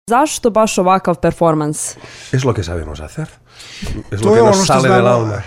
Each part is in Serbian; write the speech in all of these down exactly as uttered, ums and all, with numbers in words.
Zašto baš ovakav performans? Es lo que sabemos hacer. Es to lo que je nos ono što sale del znamo, alma.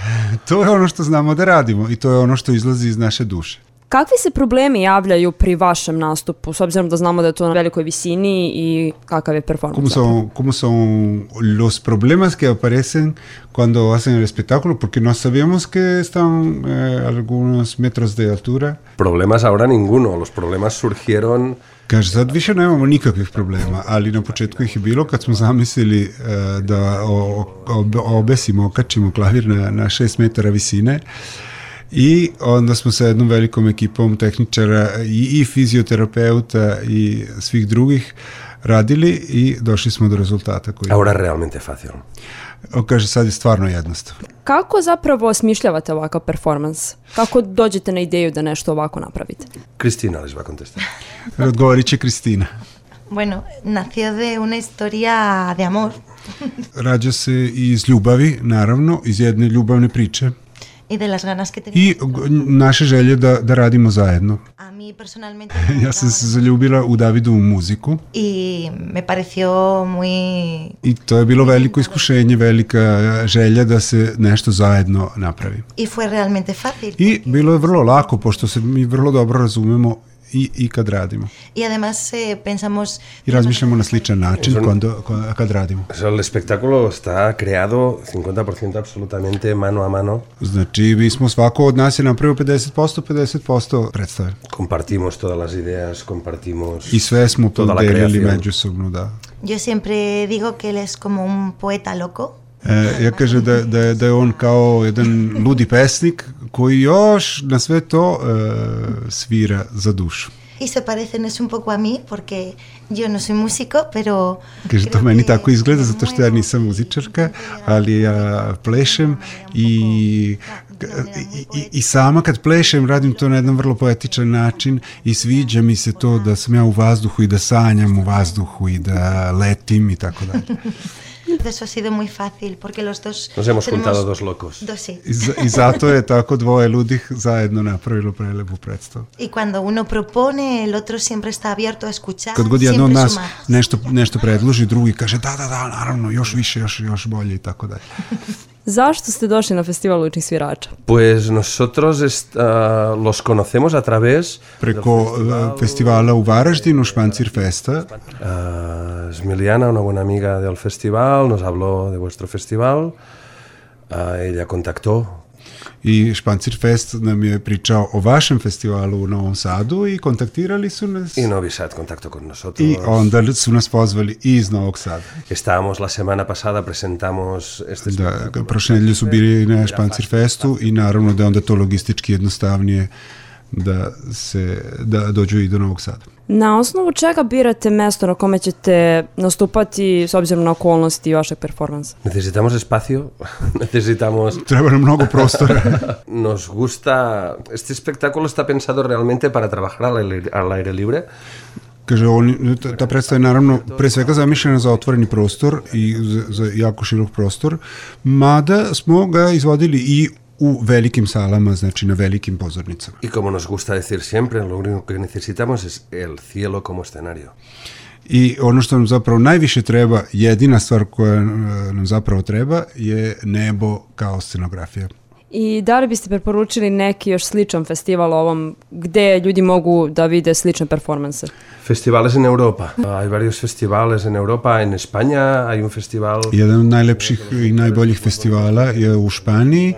to je ono što znamo da radimo i to je ono što izlazi iz naše duše. Kakvi se problemi javljaju pri vašem nastupu, s obzirom da znamo da je to na velikoj visini i kakav je performans? ¿Cómo son, cómo son los problemas que aparecen cuando hacen el espectáculo? Porque no sabemos que están eh, algunos metros de altura. Problemas ahora ninguno. Los problemas surgieron... Kaže, sad više nemamo nikakvih problema, ali na početku ih je bilo kad smo zamislili uh, da o, o, obesimo, okačimo klavir na, na šest metara visine i onda smo sa jednom velikom ekipom tehničara i, i fizioterapeuta i svih drugih radili i došli smo do rezultata. Koji... Ahora realmente fácil. On kaže, sad je stvarno jednostavno. Kako zapravo osmišljavate ovakav performans? Kako dođete na ideju da nešto ovako napravite? Cristina les va a contestar. Odgovorit će Kristina. Bueno, nació de una historia de amor. Rađa se iz ljubavi, naravno, iz jedne ljubavne priče. I de las ganas que I naše želje da, da radimo zajedno. A mí personalmente ja sam se zaljubila u Davidovu muziku. I me pareció muy... I to je bilo veliko iskušenje, velika želja da se nešto zajedno napravi. I fue realmente fácil. I bilo je vrlo lako, pošto se mi vrlo dobro razumemo i, i kad radimo. I además eh, pensamos... I razmišljamo na sličan način cuando, kad radimo. El espectáculo está creado cincuenta por ciento absolutamente mano a mano. Znači, mi smo svako od nas je napravio pedeset posto, pedeset posto predstave. Compartimos todas las ideas, compartimos... I sve smo podelili međusobno, da. Yo siempre digo que él es como un poeta loco. E, ja kaže da, da, da je on kao jedan ludi pesnik koji još na sve to e, svira za dušu. I se parecen es un poco a mí porque yo no soy músico, pero... Kaže, to meni tako izgleda zato što ja nisam muzičarka, ali ja plešem i, i, i sama kad plešem radim to na jedan vrlo poetičan način i sviđa mi se to da sam ja u vazduhu i da sanjam u vazduhu i da letim i tako dalje. Eso ha sido muy fácil porque los dos nos hemos juntado dos locos. Dos, sí. I, I zato je tako dvoje ludih zajedno napravilo prelepu predstavu. I cuando uno propone, el otro siempre está abierto a escuchar. Kad god jedno od nas nešto, nešto predloži, drugi kaže da, da, da, naravno, još više, još, još bolje i tako dalje. Zašto ste došli na festival lučnih svirača? Pues nosotros est, uh, los conocemos a través... Preko uh, festivala u Varaždinu, Špancir Festa. Uh, Smiliana, una buena amiga del festival, nos habló de vuestro festival. Uh, ella contactó. I Špancir Fest nam je pričao o vašem festivalu u Novom Sadu i kontaktirali su nas. I Novi Sad contactó con nosotros. I onda su nas pozvali iz Novog Sada. Estábamos la semana pasada, presentamos este espectáculo. Da, prošle nedelje su bili na Špancir Festu i naravno da je onda to logistički jednostavnije da se da dođu i do Novog Sada. Na osnovu čega birate mesto na kome ćete nastupati s obzirom na okolnosti vašeg performansa? Necesitamos espacio, necesitamos... Treba nam mnogo prostora. Nos gusta... Este espectáculo está pensado realmente para trabajar al aire, al aire libre. Kaže, on, ta predstava je naravno pre svega zamišljena za otvoreni prostor i za, za jako širok prostor, mada smo ga izvodili i u velikim salama, znači na velikim pozornicama. I como nos gusta decir siempre, lo único que necesitamos es el cielo como escenario. I ono što nam zapravo najviše treba, jedina stvar koja nam zapravo treba je nebo kao scenografija. I da li biste preporučili neki još sličan festival ovom gde ljudi mogu da vide slične performanse? Festivales en Europa. Hay varios festivales en Europa. En España hay un festival... Jedan od najlepših i najboljih festivala je u Španiji,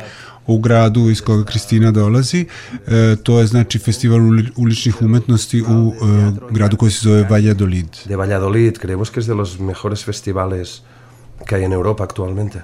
u gradu iz koga Kristina dolazi. E, to je znači festival uličnih umetnosti u e, gradu koji se zove Valladolid. De Valladolid. Creemos que es de los mejores festivales que hay en Europa actualmente.